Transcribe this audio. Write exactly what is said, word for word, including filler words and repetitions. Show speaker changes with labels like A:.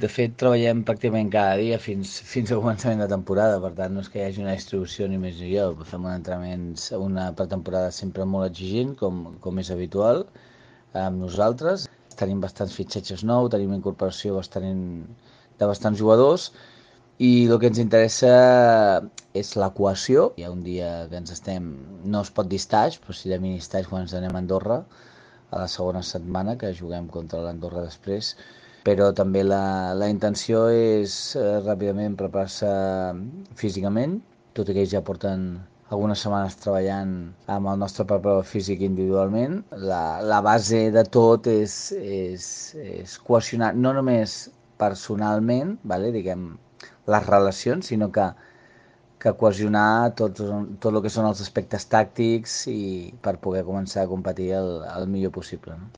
A: De fet, treballem pràcticament cada dia fins, fins al començament de temporada, per tant, no és que hi hagi una distribució ni més ni jo. Fem un entrenament, una pretemporada sempre molt exigent, com, com és habitual, amb nosaltres. Tenim bastants fitxatges nous, tenim incorporació bastant, de bastants jugadors, i el que ens interessa és la cohesió. Hi ha un dia que ens estem, no es pot dir stage, però sí de mini stage quan ens anem a Andorra, a la segona setmana, que juguem contra l'Andorra després, però també la, la intenció és eh, ràpidament preparar-se físicament, tot i que ells ja porten algunes setmanes treballant amb el nostre preparador físic individualment. La, la base de tot és, és, és cohesionar, no només personalment, vale, diguem, les relacions, sinó que, que cohesionar tot, tot el que són els aspectes tàctics i per poder començar a competir el, el millor possible. No?